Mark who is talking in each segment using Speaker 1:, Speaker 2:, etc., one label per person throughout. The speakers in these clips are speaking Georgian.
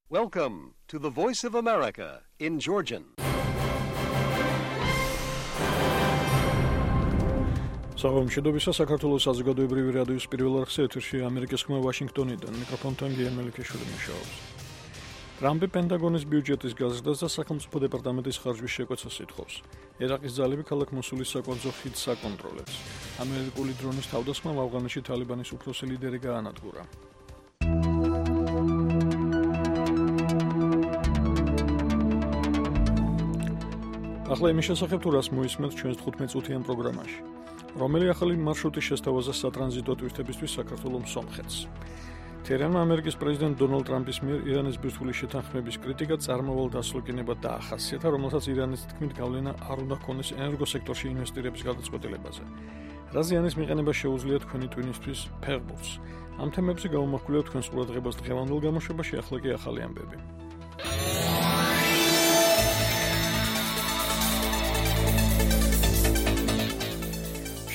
Speaker 1: Welcome to the Voice of America in Georgian.
Speaker 2: Საღამოშიდობისა საქართველოს საზოგადოებრივი რადიოს პირველ არხზე ეთერში ამერიკის ხმა ვაშინგტონიდან მიკროფონთან გიემელიქეშვილი მუშაობს. ტრამპი პენტაგონის ბიუჯეტის გაზრდას და სახელმწიფო დეპარტამენტის ხარჯვის შეკვეცას ითხოვს. ერაყის ძალები ქალაქ მოსულის საკვანძო ხიდს აკონტროლებს. ამერიკული დრონის თავდასხმამ ავღანეთში თალიბანის უფროსი ლიდერი გაანადგურა. ახლა იმის შესახებ თუ რას მოისმენთ ჩვენს 15-წუთიან პროგრამაში. რომელი ახალი მარშრუტი შესთავაზა სატრანზიტო ტვირთებისთვის საქართველოს სომხეთს. თერანმა ამერიკის პრეზიდენტ დონალდ ტრამპის მიერ ირანის ბირთვული შეთანხმების კრიტიკა წარმავალ დასლოკინებად დაახასიათა, რომელსაც ირანის თქმით გავლენა არ უნდა ჰქონდეს ენერგოსექტორში ინვესტირების გადაწყვეტილებაზე. რა ზიანის მიყენება შეუძლია თქვენი ტვინისთვის ფეხბურთს. ამ თემებზე გავუმახვილებთ თქვენს ყურადღებას დღევანდელ გამოშვებაში, ახლა კი ახალი ამბები.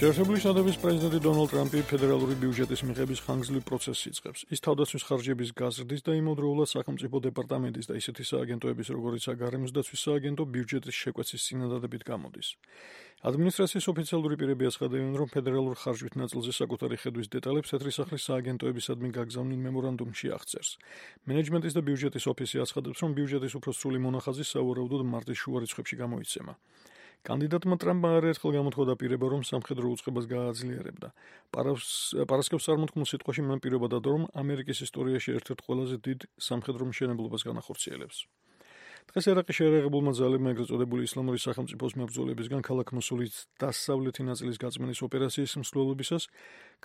Speaker 2: შეერთებული შტატების პრეზიდენტი დონალდ ტრამპი ფედერალური ბიუჯეტის მიღების ხანგრძლივ პროცესს იწყებს. ის თავდაცვის ხარჯების გაზრდის და იმავდროულად სახელმწიფო დეპარტამენტის და ისეთი სააგენტოების როგორიცაა გარემოს დაცვის სააგენტო ბიუჯეტის შეკვეცის წინადადებით გამოდის. ადმინისტრაციის ოფიციალური პირები აცხადებენ, რომ ფედერალურ ხარჯვით ნაწილზე საკუთარი ხედვის დეტალებს თეთრი სახლის სააგენტოებისადმი გაგზავნილ მემორანდუმში აღწერს. მენეჯმენტის და ბიუჯეტის ოფისი აცხადებს, რომ ბიუჯეტის უფრო სრული მონახაზი სავარაუდოდ მარტის შუა რიცხვებში გამოიცემა. კანდიდატმა ტრამპმა არაერთხელ გამოთქვა დაპირება, რომ სამხედრო უწყებას გააძლიერებდა. პარასკევს წარმოთქმულ სიტყვაში მან პირობა დადო, რომ ამერიკის ისტორიაში ერთ-ერთ ყველაზე დიდ სამხედრო მშენებლობას განახორციელებს. დღეს ერაყის შეერაღებულმა ძალებმა ეგრეთ წოდებული ისლამური სახელმწიფოს მებრძოლებისგან ქალაქ მოსულის დასავლეთი ნაწილის გაწმენდის ოპერაციის მსვლელობისას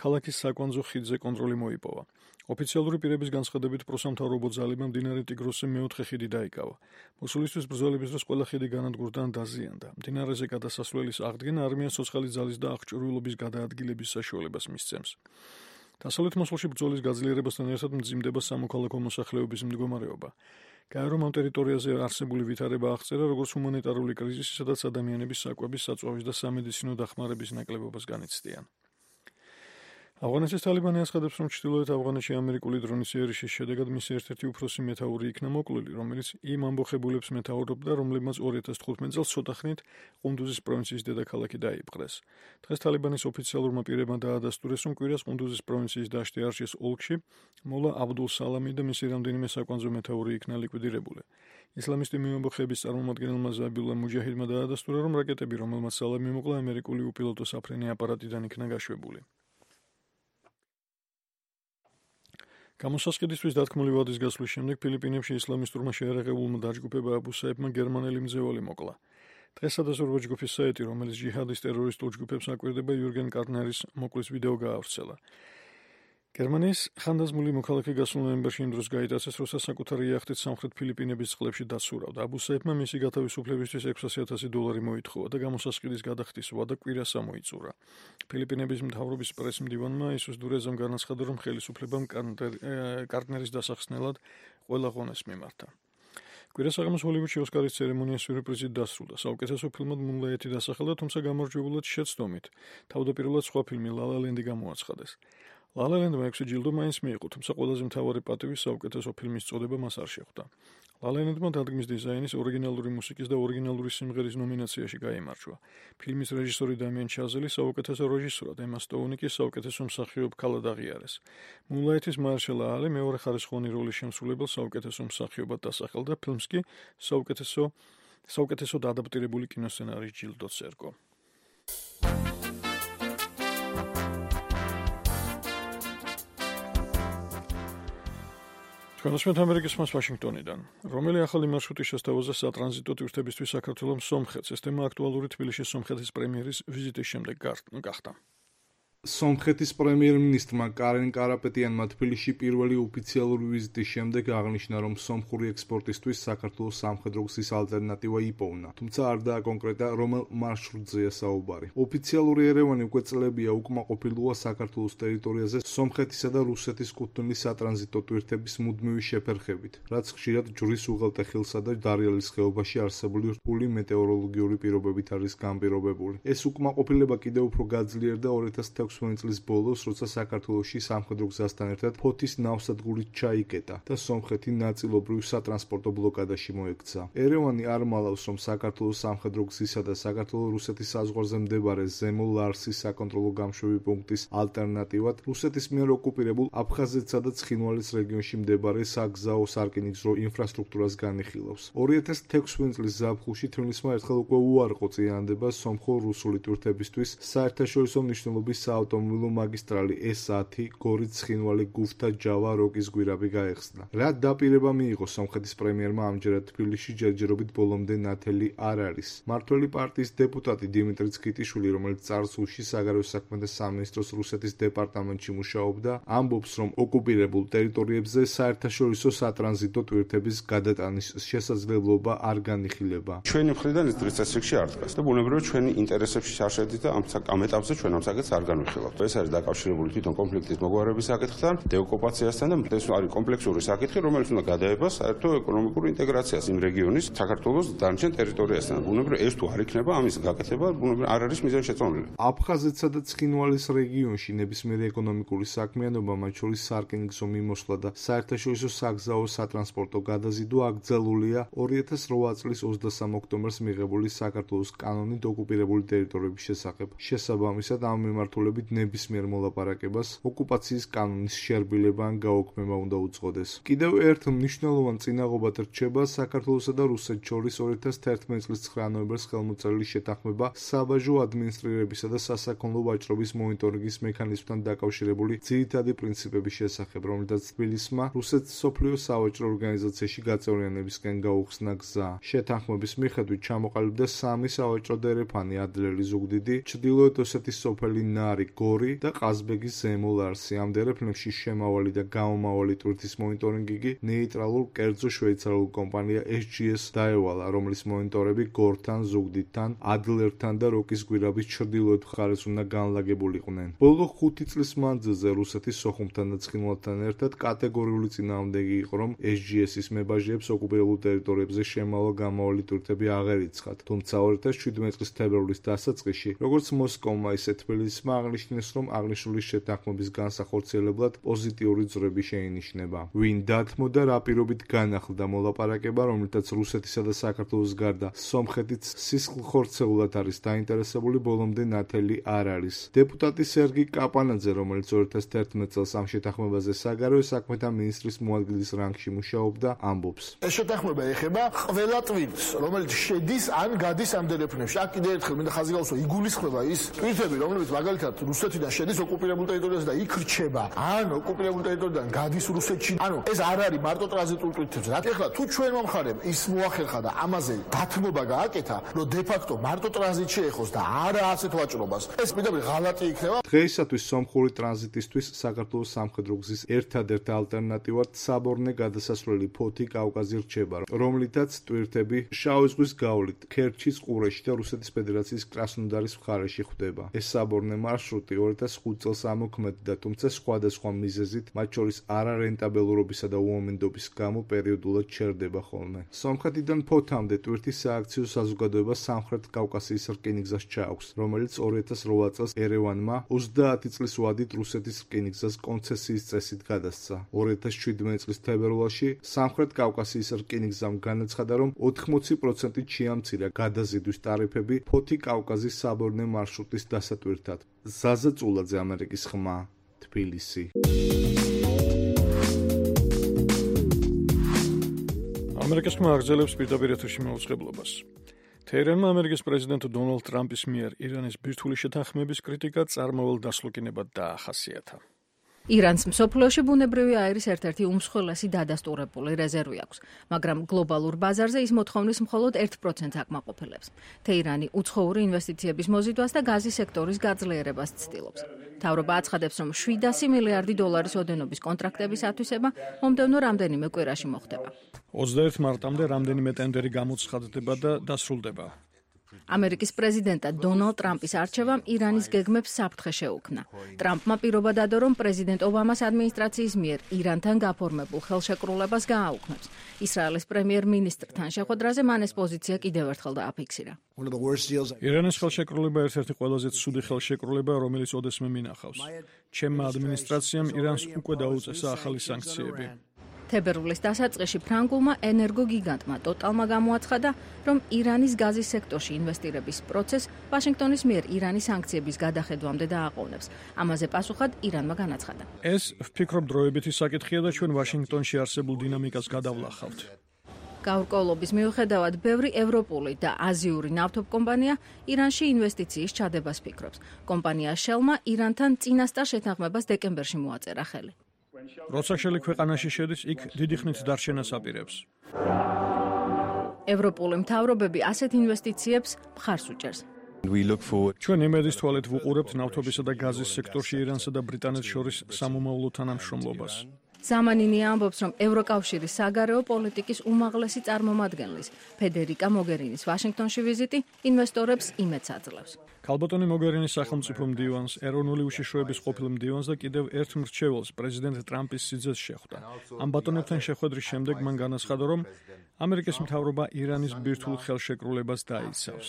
Speaker 2: ქალაქის საკვანძო ხიდზე კონტროლი მოიპოვა. ოფიციალური პირების განცხადებით პროსამთავრობო ძალებმა მდინარე ტიგროსზე მეოთხე ხიდი დაიკავა. მოსულისთვის ბრძოლების დროს ყველა ხიდი განადგურდა ან დაზიანდა. მდინარეზე გადასასვლელის აღდგენა არმიას ცოცხალი ძალის და აღჭურვილობის გადაადგილების საშუალებას მისცემს. დასავლეთ მოსულში ბრძოლის გაძლიერებასთან ერთად მძიმდება სამოქალაქო მოსახლეობის მდგომარეობა. გაერომ ამ ტერიტორიაზე არსებული ვითარება აღწერა, როგორც ჰუმანიტარული კრიზისი, სადაც ადამიანების საკვების, საწვავის და სამედიცინო დახმარების ნაკლებობას განიცდიან. ავღანეთის თალიბანი აცხადებს, რომ ჩრდილოეთ ავღანეთში ამერიკული დრონის იერიში შედეგად მისი ერთ-ერთი უფროსი მეთაური იქნა მოკლული, რომელიც იმ ამბოხებულებს მეთაურობდა, რომლებმაც 2015 წელს ცოტახნით ყუნდუზის პროვინციის დედაქალაქი დაიპყრეს. დღეს თალიბანის ოფიციალურმა პირებმა დაადასტურეს, რომ კვირას ყუნდუზის პროვინციის დაშტი არშის ოლქში მოლა აბდულ სალამი და მისი რამდენიმე საკვანძო მეთაური იქნა ლიკვიდირებული. ისლამისტი მეამბოხეების წარმომადგენელმა ზაბიულა მუჯაჰიდმა დაადასტურა, რომ რაკეტები, რომელმაც სალამი მოკლა, ამერიკული უპილოტო საფრენი აპარატიდან იქნა გაშვებული. გამოსასყიდისთვის დათქმული ვადის გასვლის შემდეგ ფილიპინებში ისლამისტურმა შეერაღებულმა დაჯგუფება აბუსაებმა გერმანელი მძევალი მოკლა. დღეს სადაზვერვო ჯგუფის საიტი, რომელიც ჯიჰადის ტერორისტულ ჯგუფებს აკვირდება, იურგენ კარნერის მოკლის ვიდეო გაავრცელა. გერმანიის ხანდაზმული მოქალაქე გასულ ნოემბერში იმ დროს გაიტაცეს, როცა საკუთარი იახტით სამხრეთ ფილიპინების წყლებში დასურავდა. აბუსაებმა მისი გათავისუფლებისთვის $600,000 მოითხოვა და გამოსასყიდის გადახდის ვადა კვირას ამოიწურა. ფილიპინების მთავრობის პრეს-მდივანმა ისუს დურეზამ განაცხადა, რომ ხელისუფლებამ კარნერის დასახსნელად ყველა ღონეს მიმართა. კვირას საღამოს ჰოლივუდში ოსკარის ცერემონია სიურპრიზით დასრულდა. საუკეთესო ფილმად მუნლაითი დასახელდა, თუმცა გამარჯვებულად შეცდომით. თავდაპირველად სხვა ფილმი ლა ლა ლენდი გამოაცხადეს. ლა ლა ლენდმა 6 ჯილდო მაინც მიიღო, თუმცა ყველაზე მთავარი პატივი საუკეთესო ფილმის წოდება მას არ შეხვდა. ლა ლა ლენდმა დადგმის დიზაინის, ორიგინალური მუსიკის და ორიგინალური სიმღერის ნომინაციაში გაიმარჯვა. ფილმის რეჟისორი დამიან ჩაზელი საუკეთესო რეჟისორად, ემა სტოუნი კი საუკეთესო მსახიობ ქალად აღიარეს. მუნლაითის მარშალა ალი მეორე ხარისხოვანი როლის შემსრულებელ საუკეთესო მსახიობად დასახელდა, ფილმს კი საუკეთესოდ ადაპტირებული კინოსცენარის ჯილდოც ერგო. თქვენს ამერიკის ხმას ვაშინგტონიდან. რომელი ახალი მარშრუტი შესთავაზა სატრანზიტო ტვირთებისთვის საქართველოს სომხეთს? ეს თემა აქტუალური თბილისის სომხეთის პრემიერის ვიზიტის შემდეგ გახდა.
Speaker 3: სომხეთის პრემიერ-მინისტრმა კარენ კარაპეტიანმა თბილისში პირველი ოფიციალური ვიზიტის შემდეგ აღნიშნა, რომ სომხური ექსპორტისთვის საქართველოს სამხედრო გზის ალტერნატივა იპოვნა, თუმცა არ დააკონკრეტა, რომელ მარშრუტზეა საუბარი. ოფიციალური ერევანი უკვე წლებია უკმაყოფილოა საქართველოს ტერიტორიაზე სომხეთისა და რუსეთის კუთვნილი სატრანზიტო ტვირთების მუდმივი შეფერხებით, რაც ხშირად ჯვრის უღელტეხილსა და დარიალის ხეობაში არსებული რთული მეტეოროლოგიური პირობებით არის განპირობებული. ეს უკმაყოფილება კიდევ უფრო გაძლიერდა 2016 16 წლის ბოლოს, როცა საქართველოში სამხედრო გზასთან ერთად ფოთის ნავსადგურით ჩაიკეტა და სომხეთი ნაწილობრივ სატრანსპორტო ბლოკადაში მოექცა. ერევანი არ მალავს, რომ საქართველოს სამხედრო გზისა და საქართველო-რუსეთის საზღვარზე მდებარე ზემო ლარსის საკონტროლო გამშვები პუნქტის ალტერნატივად რუსეთის მიერ ოკუპირებულ აფხაზეთსა და ცხინვალის რეგიონში მდებარე საგზაო სარკინიგზო ინფრასტრუქტურას განიხილავს. 2016 წლის ზაფხულში თბილისმა ერთხელ უკვე უარყო წინააღმდება სომხო-რუსული ტვირთებისთვის საერთაშორისო მნიშვნელობის საავტომობილო მაგისტრალი S10 გორიც-ცხინვალი-გუფთა-ჯავა-როკის გვირაბი გაეხსნა. რა დაპირება მიიღო სომხეთის პრემიერმა ამჯერად თბილისში ჯერჯერობით ბოლომდე ნათელი არ არის. მმართველი პარტიის დეპუტატი დიმიტრი ცქიტიშვილი, რომელიც წარსულში საგარეო საქმეთა სამინისტროს რუსეთის დეპარტამენტში მუშაობდა, ამბობს, რომ ოკუპირებულ ტერიტორიებზე საერთაშორისო სატრანზიტო ტვირთების გადატანის შესაძლებლობა არ განიხილება.
Speaker 4: ჩვენი მხრიდან ეს დღის წესრიგში არ დგას და ბუნებრივია ჩვენი ინტერესებში არ შედის და ამ ეტაპზე ჩვენ ამ საკითხს არ განვიხილავთ. ეს არის დაკავშირებული თვითონ კონფლიქტის მოგვარების საკითხთან, დეოკუპაციასთან და ეს არის კომპლექსური საკითხი, რომელიც უნდა გადაება საერთო ეკონომიკურ ინტეგრაციას იმ რეგიონის საქართველოს დანარჩენ ტერიტორიასთან. ბუნებრივია ეს თუ არ იქნება, ამის გაკეთება ბუნებრივია არ არის მიზანშეწონილი.
Speaker 3: აფხაზეთსა და ცხინვალის რეგიონში ნებისმიერი ეკონომიკური საქმიანობა, მათ შორის სარკინიგზო მიმოსვლა და საერთაშორისო საგზაო სატრანსპორტო გადაზიდვა აკრძალულია 2008 წლის 23 ოქტომბერს მიღებული საქართველოს კანონით ოკუპირებული ტერიტორიების შესახებ. შესაბამისად, ამ მიმართულებით ნებისმიერ მოლაპარაკებას ოკუპაციის კანონის შერბილება ან გაუქმება უნდა უწყოდეს. კიდევ ერთ მნიშვნელოვან წინაღობად რჩება საქართველოსა და რუსეთს შორის 2011 წლის 9 ნოემბერს ხელმოწერილი შეთანხმება საბაჟო ადმინისტრირებისა და სასაქონლო ვაჭრობის მონიტორინგის მექანიზმთან დაკავშირებული ძირითადი პრინციპების შესახებ, რომელთაც თბილისმა რუსეთის მსოფლიო სავაჭრო ორგანიზაციაში გაწევრიანებისკენ გაუხსნა გზა. შეთანხმების მიხედვით ჩამოყალიბდა 3 სავაჭრო დერეფანი: ადლერი, ზუგდიდი, ჩრდილოეთ ოსეთის სოფელი ნარი, გორი და ყაზბეგის ზემო ლარსი. ამ დერეფნებში შემავალი და გამომავალი ტვირთის მონიტორინგი ნეიტრალურ კერძო შვეიცარიულ კომპანია SGS დაევალა, რომლის მონიტორები გორთან, ზუგდიდთან, ადლერთან და როკის გვირაბის ჩრდილოეთ მხარეს უნდა განლაგებულიყვნენ. ბოლო 5 წლის მანძილზე რუსეთის სოხუმთან და ცხინვალთან ერთად კატეგორიული წინააღმდეგი იყო, რომ SGS-ის მებაჟიებს ოკუპირებულ ტერიტორიებზე შემავალ-გამავალი ტვირთები აღარ იცხათ. თუმცა 2017 წლის თებერვლის დასაწყისში, როგორც მოსკოვმა, ისე თბილისმა აღნიშნეს, რომ აღნიშნული შეთანხმების განსახორციელებლად პოზიტიური ძრები შეინიშნება. ვინ დათმოდა, რა პირობით განახლდა მოლაპარაკება, რომლითაც რუსეთისა და საქართველოს გარდა სომხეთიც სისხლხორცეულად არის დაინტერესებული, ბოლომდე ნათელი არ არის. დეპუტატი სერგი კაპანაძე, რომელიც 2011 წელს ამ შეთანხმებაზე საგარეო საქმეთა მინისტრის მოადგილის რანგში მუშაობდა, ამბობს:
Speaker 5: ეს შეთანხმება ეხება ყველა ტვირთს, რომელიც შედის ან გადის ამ დერეფნებში. აქ კიდევ ერთხელ მინდა ხაზი გავუსვა, იგულისხმება ის ტვირთები, რომლებიც მაგალითად რუსეთიდან შედის ოკუპირებულ ტერიტორიაზე და იქ რჩება, ან ოკუპირებულ ტერიტორიიდან გადის რუსეთში. ანუ ეს არ არის მარტო ტრანზიტულ ტვირთებზე. რა ეხლა თუ ჩვენმა მხარემ ის მოახერხა და ამაზე დათმობა გააკეთა, რომ დე-ფაქტო მარტო ტრანზიტში ეხოს და არა ასეთ ვაჭრობას, ეს პირდაპირ ღალატი იქნება.
Speaker 3: დღეისათვის სომხური ტრანზიტისთვის საქართველოს სამხედრო გზის ერთადერთ ალტერნატივად საბორნე გადასასვლელი ფოთი კავკაზი რჩება, რომლითაც ტვირთები შავი ზღვის გავლით ქერჩის ყურეში და რუსეთის ფედერაციის კრასნოდარის მხარეში ხვდება. ეს საბორნე მარშრუტი 2005 წელს ამოქმედდა, თუმცა სხვადასხვა მიზეზით, მათ შორის არარენტაბელურობისა და უამედობის გამო პერიოდულად ჩერდება ხოლმე. სომხეთიდან ფოთამდე ტვირთის სააქციო საზოგადოება სამხრეთ კავკასიის რკინიგზას ჩააქვს, რომელიც 2008 წელს ერევანმა 30 წლის ვადით რუსეთის რკინიგზას კონცესიის წესით გადასცა. 2017 წლის თებერვალში სამხრეთ კავკასიის რკინიგზამ განაცხადა, რომ 80%-ით შეამცირა გადაზიდვის ტარიფები ფოთი კავკაზის საბორნე მარშრუტის დასატვირთად. ზაზა წულაძე, ამერიკის ხმა, თბილისი.
Speaker 2: ამერიკის ხმა აგრძელებს პირდაპირ ეთერში მაუწყებლობას. თეირანმა ამერიკის პრეზიდენტ დონალდ ტრამპის მიერ ირანის ბირთვული შეთანხმების კრიტიკა წარმავალ დასლოკინებად დაახასიათა.
Speaker 6: ირანს მსოფლიოში ბუნებრივი აირის ერთ-ერთი უმსხვილესი დადასტურებული რეზერვი აქვს, მაგრამ გლობალურ ბაზარზე ის მოთხოვნის მხოლოდ 1%-ს აკმაყოფილებს. თეირანი უცხოური ინვესტიციების მოზიდვას და გაზის სექტორის გაძლიერებას ცდილობს. მთავრობა აცხადებს, რომ 700 მილიარდი დოლარის ოდენობის კონტრაქტების ათვისება მომდევნო რამდენიმე კვირაში მოხდება.
Speaker 2: 21 მარტამდე რამდენიმე ტენდერი გამოცხადდება და დასრულდება.
Speaker 6: ამერიკის პრეზიდენტად დონალდ ტრამპის არჩევამ ირანის გეგმებს საფრთხე შეუქმნა. ტრამპმა პირობა დადო, რომ პრეზიდენტ ობამას ადმინისტრაციის მიერ ირანთან გაფორმებულ ხელშეკრულებას გააუქმებს. ისრაელის პრემიერ-მინისტრთან შეხვედრაზე მან ეს პოზიცია კიდევ ერთხელ დააფიქსირა.
Speaker 2: ირანის ხელშეკრულება ერთ-ერთი ყველაზე ცუდი ხელშეკრულება, რომელიც ოდესმე მინახავს. ჩემმა ადმინისტრაციამ ირანს უკვე დაუწესა ახალი სანქციები.
Speaker 6: თებერვლის დასაწყისში ფრანგულმა ენერგოგიგანტმა ტოტალმა გამოაცხადა, რომ ირანის გაზის სექტორში ინვესტირების პროცესს ვაშინგტონის მიერ ირანის სანქციების გადახედვამდე დააყოვნებს. ამაზე პასუხად ირანმა განაცხადა.
Speaker 2: ეს ვფიქრობ დროებითი საკითხია და ჩვენ ვაშინგტონში არსებულ დინამიკას გადავლახავთ.
Speaker 6: გაურკვევლობის მიუხედავად, ბევრი ევროპული და აზიური ნავთობკომპანია ირანში ინვესტიციის ჩადებას ფიქრობს. კომპანია Shell-მა ირანთან წინასწარ შეთანხმებას დეკემბერში მოაწერა ხელი.
Speaker 2: როცა შელი ქვეყანაში შედის, იქ დიდი ხნით დარჩენას აპირებს.
Speaker 6: ევროპული მთავრობები ასეთ ინვესტიციებს მხარს უჭერს.
Speaker 2: ჩვენ იმედის თვალით ვუყურებთ ნავთობისა და გაზის სექტორში ირანსა და ბრიტანეთს შორის სამომავლო თანამშრომლობას.
Speaker 6: ზამანინი ამბობს, რომ ევროკავშირის საგარეო პოლიტიკის უმაღლესი წარმომადგენლის ფედერიკა მოგერინის ვაშინგტონში ვიზიტი ინვესტორებს იმედს აძლევს.
Speaker 2: ქალბატონი მოგერინის სახელმწიფო მდივანს, ეროვნული უშიშროების ყოფილ მდივანს და კიდევ ერთ მრჩეველს პრეზიდენტ ტრამპის სიძეს შეხვდა. ამ ბატონებთან შეხვედრის შემდეგ მან განაცხადა, რომ ამერიკის მთავრობა ირანის ბირთვულ ხელშეკრულებას დაიცავს.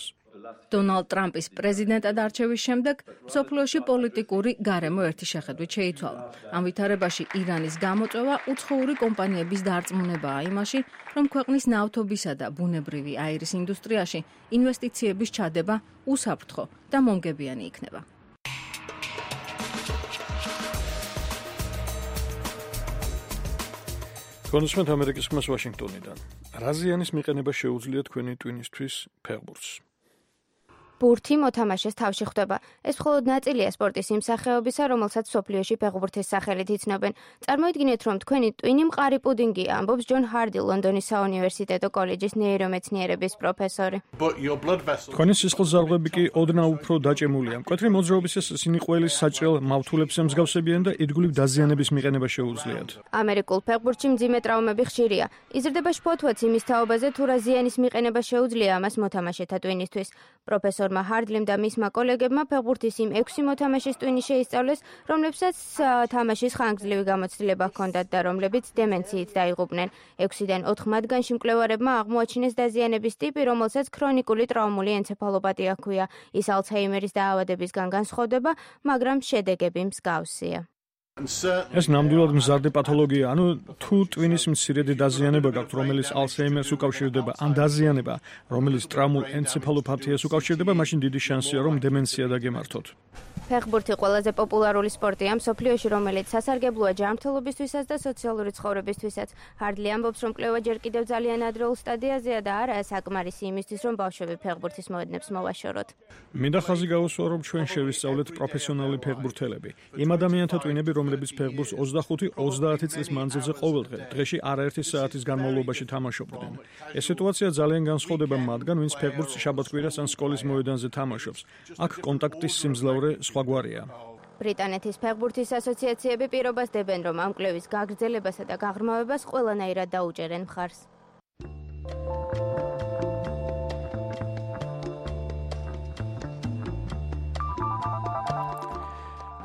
Speaker 6: დონალდ ტრამპის პრეზიდენტად არჩევის შემდეგ მსოფლიოში პოლიტიკური გარემო ერთი შეხედვით შეიცვალა. ამ ვითარებაში ირანის გამოწვევა უცხოური კომპანიების დარწმუნებაა იმაში, რომ ქვეყნის ნავთობისა და ბუნებრივი აირის ინდუსტრიაში ინვესტიციების ჩადება უსაფრთხო და მომგებიანი იქნება.
Speaker 2: კონსუმენტ ამერიკის ხმას ვაშინგტონიდან. რა ზიანის მიყენება შეუძლია თქვენი ტვინისთვის ფეხბურთს?
Speaker 7: ბურთი მოთამაშეს თავში ხვდება. ეს მხოლოდ ნაწილია სპორტის იმ სახეობისა, რომელსაც მსოფლიოში ფეხბურთის სახელით იცნობენ. წარმოიდგინეთ, რომ თქვენი ტვინი მყარი პუდინგია, ამბობს ჯონ ჰარდი, ლონდონის საუნივერსიტეტო კოლეჯის ნეირომეცნიერების პროფესორი.
Speaker 2: თქვენი სისხლძარღვები კი ოდნავ უფრო დაჭემულია. მკვეთრი მოძრაობის სინიყველის საჭრელ მავთულებს ემსგავსებიან და ირგვლივ დაზიანების მიყენება შეუძლიათ.
Speaker 7: ამერიკულ ფეხბურთში მძიმე ტრავმები ხშირია. იზრდება შფოთვაც იმის თაობაზე, თუ რა ზიანის მიყენება შეუძლია ამას მოთამაშეთა ტვინისთვის. პროფესორმა ჰარდლიმ და მისმა კოლეგებმა ფეხბურთის იმ 6 მოთამაშის ტვინი შეისწავლეს, რომლებსაც თამაშის ხანგრძლივი გამოცდილება ჰქონდათ და რომლებიც დემენციით დაიღუპნენ. 6-დან 4 მათგანში მკვლევარებმა აღმოაჩინეს დაზიანების ტიპი, რომელსაც ქრონიკული ტრაუმული ენცეფალოპათია ჰქვია. ის ალცჰაიმერის დაავადებისგან განსხვავდება, მაგრამ შედეგები მსგავსია.
Speaker 2: ეს ნამდვილად მზარდი პათოლოგია, ანუ თუ ტვინის მცირედი დაზიანება გაქვთ, რომელიც ალცჰაიმერს უკავშირდება, ან დაზიანება, რომელიც ტრაუმულ ენცეფალოპათიას უკავშირდება, მაშინ დიდი შანსია, რომ დემენცია დაგემართოთ.
Speaker 7: ფეხბურთი ყველაზე პოპულარული სპორტია მსოფლიოში, რომელიც სასარგებლოა ჯანმრთელობისთვისაც და სოციალური ცხოვრებისთვისაც. ჰარდლი ამბობს, რომ კვლევა ჯერ კიდევ ძალიან ადრეულ სტადიაზეა და არაა საკმარისი იმისთვის, რომ ბავშვები ფეხბურთის მოედნებს მოვაშოროთ.
Speaker 2: მინდა ხაზი გაუსვა, რომ ჩვენ შევისწავლეთ პროფესიონალი ფეხბურთელები. იმ ადამიანთა ტვინები, რომლებიც ფეხბურთს 25-30 წლის მანძილზე ყოველდღე, დღეში არაერთი საათის განმავლობაში თამაშობდნენ. ეს სიტუაცია ძალიან განსხვავდება მათგან, ვინც ფეხბურთს შაბათ-კვირას ან სკოლის მოედანზე თამაშობს. აქ კონტაქტის სიმძლავრე სხვაგვარია.
Speaker 7: ბრიტანეთის ფეხბურთის ასოციაციები პირობას დებენ, რომ ამ კვლევის გაგრძელებასა და გაღრმავებას ყველანაირად დაუჭერენ მხარს.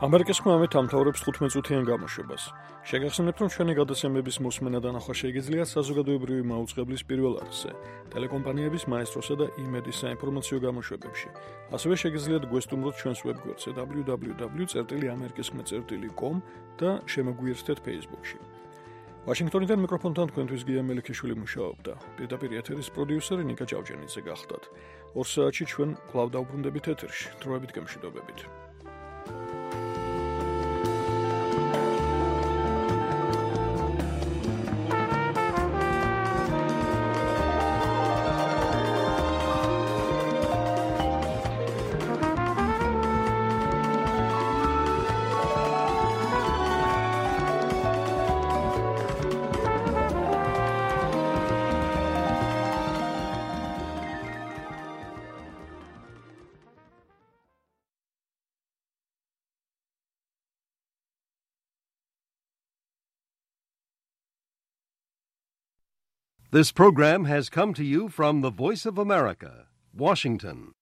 Speaker 2: ამერიკის ხმამე თამთავრებს 15 წუთიან გამოშვებას. შეგახსენებთ, რომ ჩვენი გადაცემების მოსმენა და ნახვა შეგიძლიათ საზოგადოებრივი მაუწყებლის პირველ არხზე, ტელეკომპანიების მაესტროსა და იმედის საინფორმაციო გამოშვებებში. ასევე შეგიძლიათ გვესტუმროთ ჩვენს ვებგვერდზე www.amerikiskhme.com და შემოგვიერთდეთ Facebook-ში. ვაშინგტონიდან მიკროფონთან თქვენთვის გია მელიქიშვილი მუშაობდა. პირდაპირ ეთერის პროდიუსერი ნიკა ჭავჭანიძე გახდათ. 2 საათში ჩვენ კვლავ დავბრუნდებით ეთერში. დროებით გემშვიდობებით.
Speaker 1: This program has come to you from the Voice of America, Washington.